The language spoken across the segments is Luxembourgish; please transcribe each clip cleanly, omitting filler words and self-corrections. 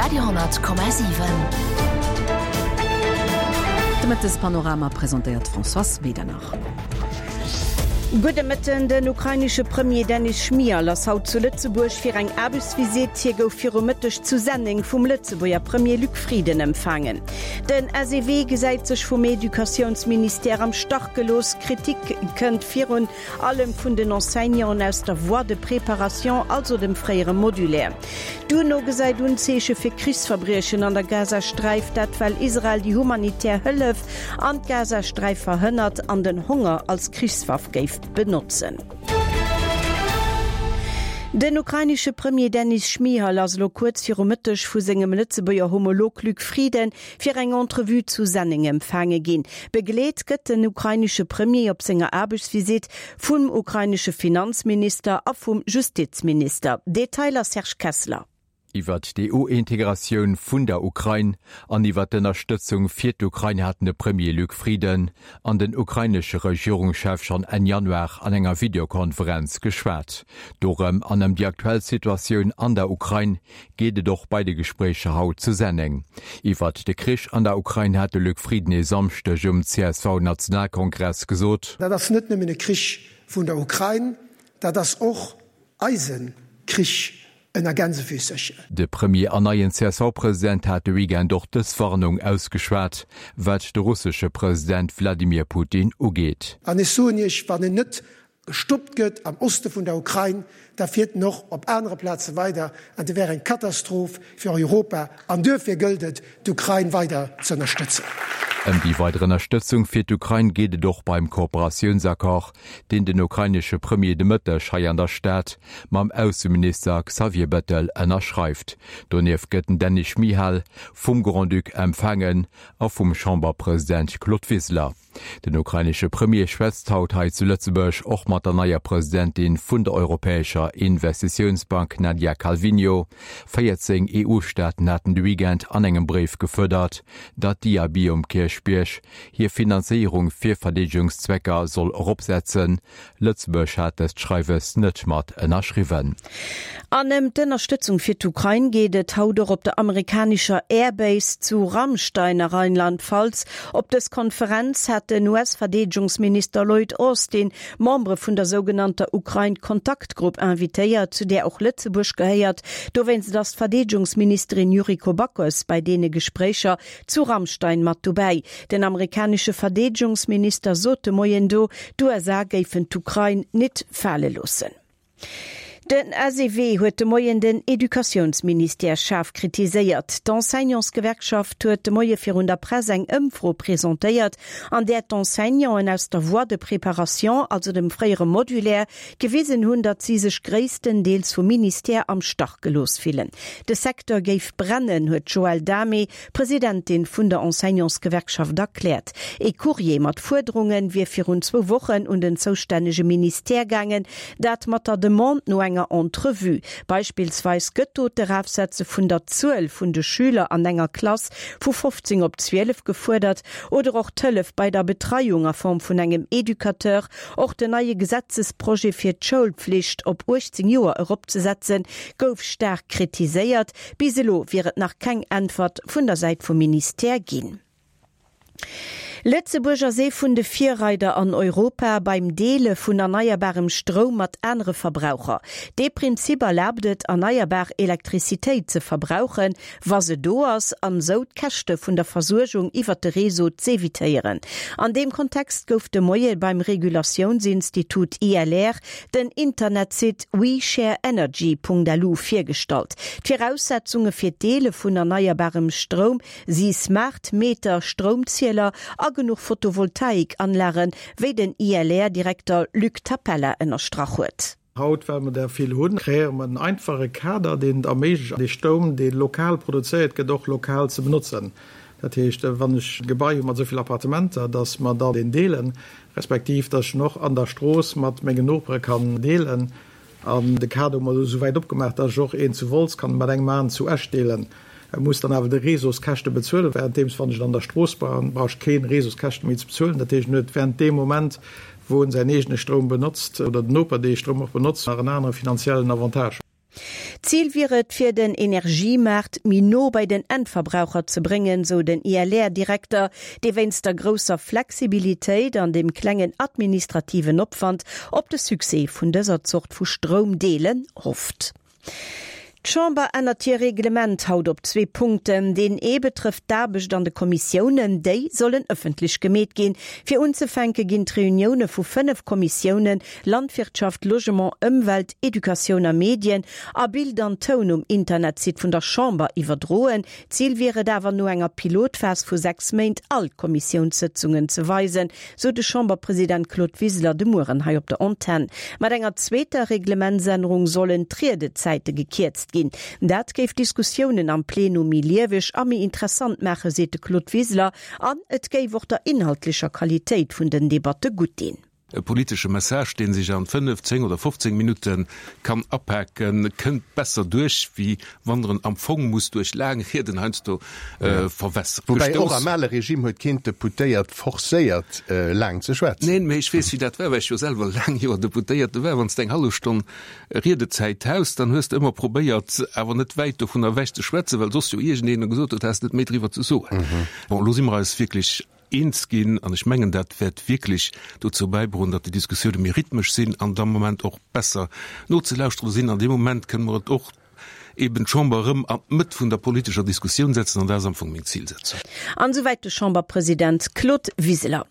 Radio,7. De Mëttespanorama presentéiert d'Françoise Medernach. Gudde Mëtten, Den ukrainesche Premier Denys Schmyhal ass haut zu Lëtzebuerg fir eng Aarbechtsvisitt. Hie gouf viru Mëtteg zu Senneng vum Lëtzebuerger Premier Luc Frieden empfaangen. Den SEW gesäit sech vum Educatiounsministère am Stach gelooss. Kritik kënnt virun allem vun den Enseignanten aus der Voie de préparation, also dem fréiere Modulaire. D'UNO gesäit Unzeeche fir Krichsverbriechen an der Gazasträif, dat well Israel déi humanitär Hëllef an d'Gazasträif verhënnert an den Honger als Krichswaff géif benotzen. Den ukrainesche Premier Denys Schmyhal ass elo kuerz viru Mëtteg vu sengem Lëtzebuerger Homolog Luc Frieden fir eng Entrevue zu Senneng empfaange ginn. Begleet gëtt den ukrainesche Premier op senger Aarbechtsvisitt vum ukrainesche Finanzminister a vum Justizminister. Detailer Serge Kessler. Iwwert d'EU-Integratioun vun der Ukrain an iwwert d'Ënnerstëtzung fir d'Ukrain haten de Premier Luc Frieden an den ukrainesche Regierungschef schonn Enn Januar an enger Videokonferenz geschwat. Dorëm an ëm déi aktuell Situatioun an der Ukrain geet et och bei de Gespréicher haut zu Senneng. Iwwert de Krich an der Ukrain hat de Luc Frieden e Samschdeg um CSV-Nationalkongress gesot. Dat ass net nëmmen e Krich vun der Ukrain, dat ass och eise Krich ënner Gänsefüßerchen. De Premier an neien CSV-President hat de Weekend och dës Warnung ausgeschwat, wat de russesche President Wladimir Putin ugeet. An ech soen Iech, wann en net gestoppt gëtt am Oste vun der Ukrain, da fiert en och op anere Plaze weider an dat wär eng Katastroph fir Europa an duerfir gëllt et, d'Ukrain weider ze ënnerstëtzen. Ëm déi weider Ënnerstëtzung fir d'Ukrain geet et och beim Kooperatiounsaccord, deen den ukrainesche Premier de Mëtteg hei an der Stad mam Ausseminister Xavier Bettel ënnerschreift. Donieft gëtt den Denys Schmyhal vum Grand-Duc empfaangen a vum Chamberpresident Claude Wiseler. Den ukrainesche Premier schwätzt haut hei zu Lëtzebuerg och mat der neier Presidentin vun der Europäescher Investitiounsbank Nadia Calviño. 14 EU-Staaten haten de Weekend an engem Bréif gefuerdert, datt d'IAB um Kierchbierg hir Finanzéierung fir Verdeedegungszwecker soll eropsetzen. Lëtzebuerg hat dëst Schreiwes net mat ënnerschriwwen. An ëm d'Ënnerstëtzung fir d'Ukrain geet et haut och op der amerikanescher Airbase zu Ramstein a Rheinland-Pfalz. Op dës Konferenz hat den US-Verdeedegungsminister Lloyd Austin Membere vun der sougenannter Ukrain-Kontaktgrupp invitéiert, zu där och Lëtzebuerg gehéiert. Dowéinst ass d'Verdeedegungsministerin Yuriko Backes bei deene Gespréicher zu Ramstein mat dobäi. Den amerikanesche Verdeedegungsminister sot de Moien do, d'USA géifen d'Ukrain nit fale loossen. Den SEW huet de Moien den Educatiounsministère schaarf kritiséiert. D'Enseignantsgewerkschaft huet de Moie virun der Press eng Ëmfro presentéiert, an där d'Enseignanten aus der Voie de préparation, also dem fréiere Modulaire, gewisen hunn, datt si sech gréisstendeels vum Ministère am Stach gelooss fillen. De Secteur géif brennen, huet d'Joëlle Damé, Presidentin vun der Enseignantsgewerkschaft erkläert. Ee Courrier mat Fuerderunge wier virun zwou Wochen un den zoustännege Ministère gaangen, dat mat der Demande no enger Entrevue. Beispillsweis gëtt do d'Erafsetze vun der Zuel vun de Schüler an enger Klass vu 15 op 12 gefuerdert oder och d'Hëllef bei der Betreiung a Form vun engem Educateur. Och den neie Gesetzesprojet fir d'Schoulpflicht op 18 Joer eropzesetzen, gouf staark kritiséiert. Bis elo wier et nach keng Äntwert vun der Säit vum Ministère ginn. Lëtzebuerg ass ee vun de Virreider an Europa beim Deele vun erneierbarem Stroum mat anere Verbraucher. Dee Prinzip erlaabt et, erneierbar Elektrizitéit ze verbrauchen, wa se do ass, an esou d'Käschte vun der Versuergung iwwert de Réseau z'evitéieren. An deem Kontext gouf de Moie beim Regulatiounsinstitut ILR den Internetsite WeShareEnergy.lu virgestallt. D'Viraussetzunge fir d'Deele vun erneierbarem Stroum si Smart Meter, Stroumzieler a genuch Photovoltaikanlagen, wéi den ILR-Direkter Luc Tapella ënnerstrach huet. Haut, well mer der vill hunn, kreéiere mer en einfache Kader, deen et erméiglecht, dee Stoum, dee lokal produzéiert gëtt, och lokal ze benotzen. Dat heescht, wann ech e Gebai hu mat esou vill Appartementer, dass mer dann deen deelen, respektiv dass ech en och an der Strooss mat mengen Nopere kann deelen. An de Kader hu mer elo esou wäit opgemaach, dass ech och een zu Wolz kann mat engem aneren zu Esch deelen. E muss dann awer de Réseauskäschte bezuelen, währenddeems wann ech et an der Strooss brauch, brauch ech kee Réseauskäschte méi ze bezuelen. Dat heescht, en huet während deem Moment, wou en säin eegene Stroum benotzt oder den Noper dee Stroum och benotzt, nach en anere finanziellen Avantage. D'Zil wier et, fir den Energiemaart méi no bei den Endverbraucher ze bréngen, sou den ILR-Direkter, dee wéinst der grousser Flexibilitéit an dem klengen administrativen Opwand op de Succès vun dëser Zort vu Stroumdeelen hofft. D'Chamber ännert hir Reglement haut op zwee Punkten. Deen ee betrëfft d'Aarbecht an de Kommissiounen. Déi sollen ëffentlech gemeet ginn. Fir unzefänke ginn d'Reunioune vu 5 Kommissiounen, Landwirtschaft, Logement, Ëmwelt, Educatioun a Medien, a Bild an Toun um Internetsite vun der Chamber iwwerdroen. Zil wier et awer, no enger Pilotphas vu 6 Méint all d'Kommissiounssëtzungen ze weisen, sou de Chamberpresident Claude Wiseler de Mueren hei op der Antenn. Mat enger zweeter Reglementsännerung sollen d'Riedezäite gekierzt ginn. Dat géif d'Diskussiounen am Plenum méi lieweg a méi interessant maachen, seet de Claude Wiseler. An et géif och der inhaltlecher Qualitéit vun den Debatte gutt dinn. E politesche Message, dee sech an 5, 10 oder 15 Minutte kann apaken, kënnt besser duerch, wéi wann der en am Fong muss duerch laang Rieden heiansdo verwässeren. Woubäi och am ale Regime huet keen d'Deputéiert forcéiert, laang ze schwätzen. Neen, mee ech weess, wéi dat war, well ech jo selwer laang Joer Deputéierte war. Wann s de eng hallef Stonn Riedezäit haus, dann hues de ëmmer probéiert, awer net wäit dovun ewech ze schwätzen, well soss jo iergendeen gesot huet, häss net méi driwwer ze soen. Bon, elo si mer eis wierklech eens ginn an ech mengen, dat wäert wierklech dozou bäidroen, datt déi Diskussioune méi rhythmesch sinn an am Moment och besser nozelauschteren sinn. An deem Moment kënne mer et och eben d'Chamber erëm an d'Mëtt vun der politescher Diskussioun setzen an dat ass am Fong meng Zilsetzung. An esouwäit de Chamberpresident Claude Wiseler.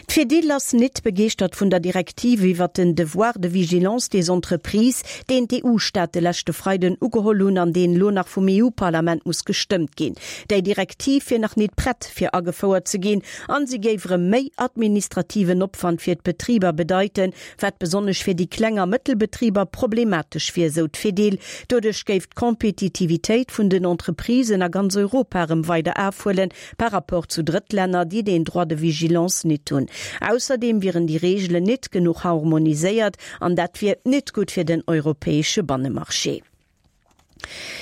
D'Fedil ass nit begeeschtert vun der Direktiv iwwert den Devoir de vigilance des entreprises, deen d'EU-Staate leschte Freiden ugeholl hunn an deen elo nach vum EU-Parlament muss gestëmmt ginn. Déi Direktiv wier nach nit prett fir agefouert ze ginn an si géif erëm méi administrativen Opwand fir d'Betriber bedeiten, wat besonnesch fir déi kleng a mëttel Betriber problematesch wier, sou d'Fedil. Doduerch géif d'Kompetitivitéit vun den Entreprisen a ganz Europa erëm weider afhuelen par rapport zu Drëttlänner, déi deen Droit de vigilance nit hunn. Ausserdeem wieren déi Reegelen nit genuch harmoniséiert an dat wier nit gutt fir den europäesche Bannemarché.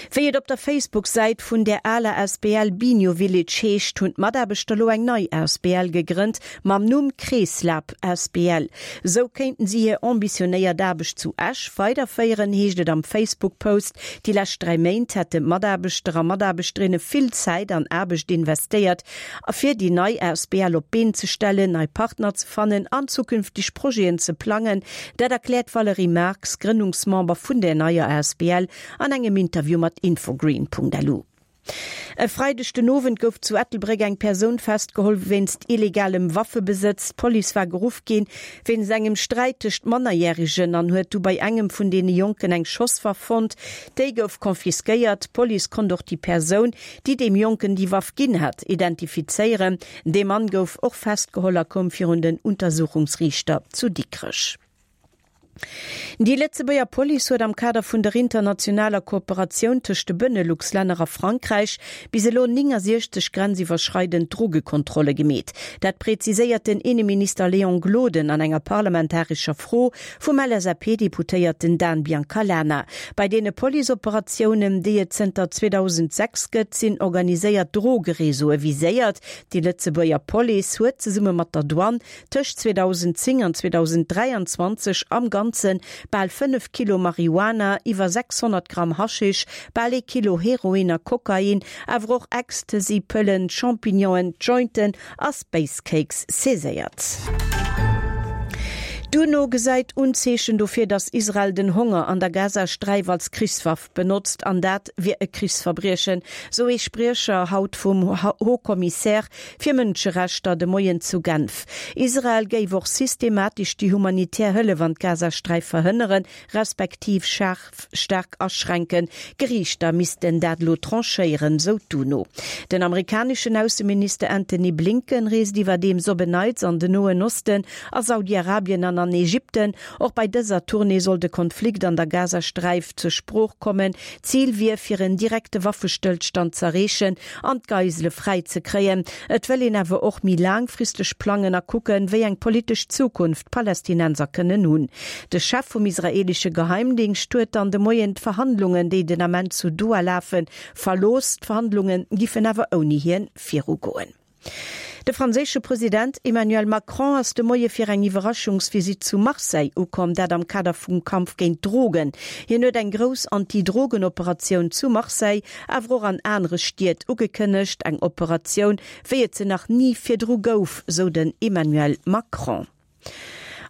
Wéi et op der Facebook-Säit vun där aler Asbl Binio Village heescht, hunn d'Mataarbechter lo eng nei Asbl gegrënnt mam Numm Kreeslab asbl. Sou kéinten si hir ambitionéiert Aarbecht zu Esch weiderféieren, heescht et am Facebook-Post. Déi lescht 3 Méint hätten d'Mataarbechter a Mataarbechterinne vill Zäit an Aarbecht investéiert, fir déi nei Asbl op d'Been ze stellen, nei Partner ze fannen an zukünfteg Projeten ze plangen. Dat erkläert d'Valérie Marx, Grënnungsmember vun der neier Asbl, an engem Interview mat Infogreen.lu. E Freideg den Owend gouf zu Ettelbréck eng Persoun festgeholl wéinst illegalem Waffebesëtz. D'Police war geruff ginn wéinst engem Sträit tëscht Mannerjäregen an huet du bei engem vun deene Jonken eng Schosswaff fonnt. Déi gouf confisquéiert. D'Police konnt och déi Persoun, déi deem Jonken déi Waff ginn hat, identifizéieren. Dee Mann gouf och festgeholl a koum virun den Untersuchungsriichter zu Dikrech. Déi Lëtzebuerger Police huet am Kader vun der internationaler Kooperatioun tëscht de Benelux-Länner a Frankräich bis elo 69 grenziwwerschreidend Drogekontrolle gemeet. Dat präziséiert den Inneminister Léon Gloden an enger parlamentarescher Fro vum LSAP-Deputéierten Dan Biancalana. Bei deene Policeoperatiounen, déi et zënter 2006 gëtt, sinn organiséiert Drogereseaue viséiert. Déi Lëtzebuerger Police huet zesumme mat der Douane tëscht 2010 an 2023 am Ganze bal 5 Kilo Marihuana, iwwer 600 Gramm Haschisch, bal ee Kilo Heroin a Kokain, awer och Ecstasy-Pëllen, Champignonen, Jointen a Space Cakes saiséiert. D'UNO gesäit Unzeechen dofir, datt Israel den Honger an der Gazasträif als Krichswaff benotzt, an dat wier e Krichsverbriechen, sou ee Spriecher haut vum Haut-Commissaire fir Mënscherechter de Moien zu Genf. Israel géif och systematesch déi humanitär Hëllef an d'Gazasträif verhënneren, respektiv schaarf staark aschränken. Geriichter missten dat elo tranchéieren, sou d'UNO. Den amerikaneschen Ausseminister Antony Blinken reest iwwerdeems op en Neits an den Noen Osten, a Saudi-Arabien an an Ägypten. Och bei dëser Tournée soll de Konflikt an der Gazasträif zur Sprooch kommen. Zil wier, fir en direkte Waffestëllstand z'erreechen an d'Geisele fräi ze kréien. Et wëll een awer och méi laangfristeg plangen a kucken, wéi eng politesch Zukunft d'Palästinenser kënnen hunn. De Chef vum israeelesche Geheimdingscht huet dann de Moien d'Verhandlungen, déi den Ament zu Doha lafen, verlooss. D'Verhandlunge giffen awer ouni hien virugoen. De franséische President Emmanuel Macron ass de Moie fir eng Iwwerraschungsvisitt zu Marseille ukomm, dat am Kader vum Kampf géint d'Drogen. Hien huet eng grouss Anti-Drogen-Operatioun zu Marseille, awer och an anere Stied ugekënnegt. Eng Operatioun, wéi et se nach ni virdru gouf, sou den Emmanuel Macron.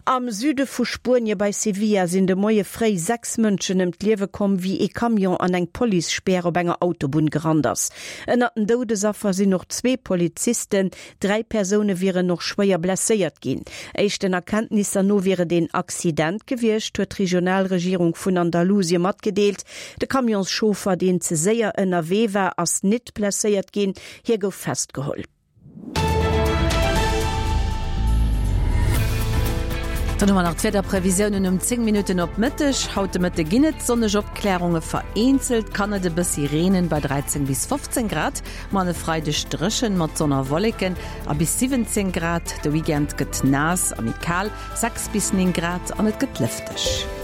Am Süde vu Spuenie bei Sevilla sinn de Moie fréi 6 Mënschen ëm d'Liewe komm, wéi ee Camion an eng Policespär op enger Autobunn gerannt ass. Ënnert den Doudesaffer sinn och zwee Polizisten. Dräi Persoune wieren och schwéier blesséiert ginn. Éischten Erkenntnisser no wier et een Accident gewiescht, huet d'Regionalregierung vun Andalusie matgedeelt. De Camionschauffer, deen ze séier ënnerwee war, ass nit blesséiert ginn. Hie gouf festgeholl. Dann hu mer nach d'Wiederprevisiounen um 10 Minutten op Mëtteg. Haut de Mëtte ginn et sonneg Opklärunge, vereenzelt kann et e bëssi reenen bei 13 bis 15 Grad. Muer an e Freideg dréchen mat Sonn a Wolleken a bis 17 Grad. De Weekend gëtt naass a méi kal, 6 bis 9 Grad an et gëtt lëfteg.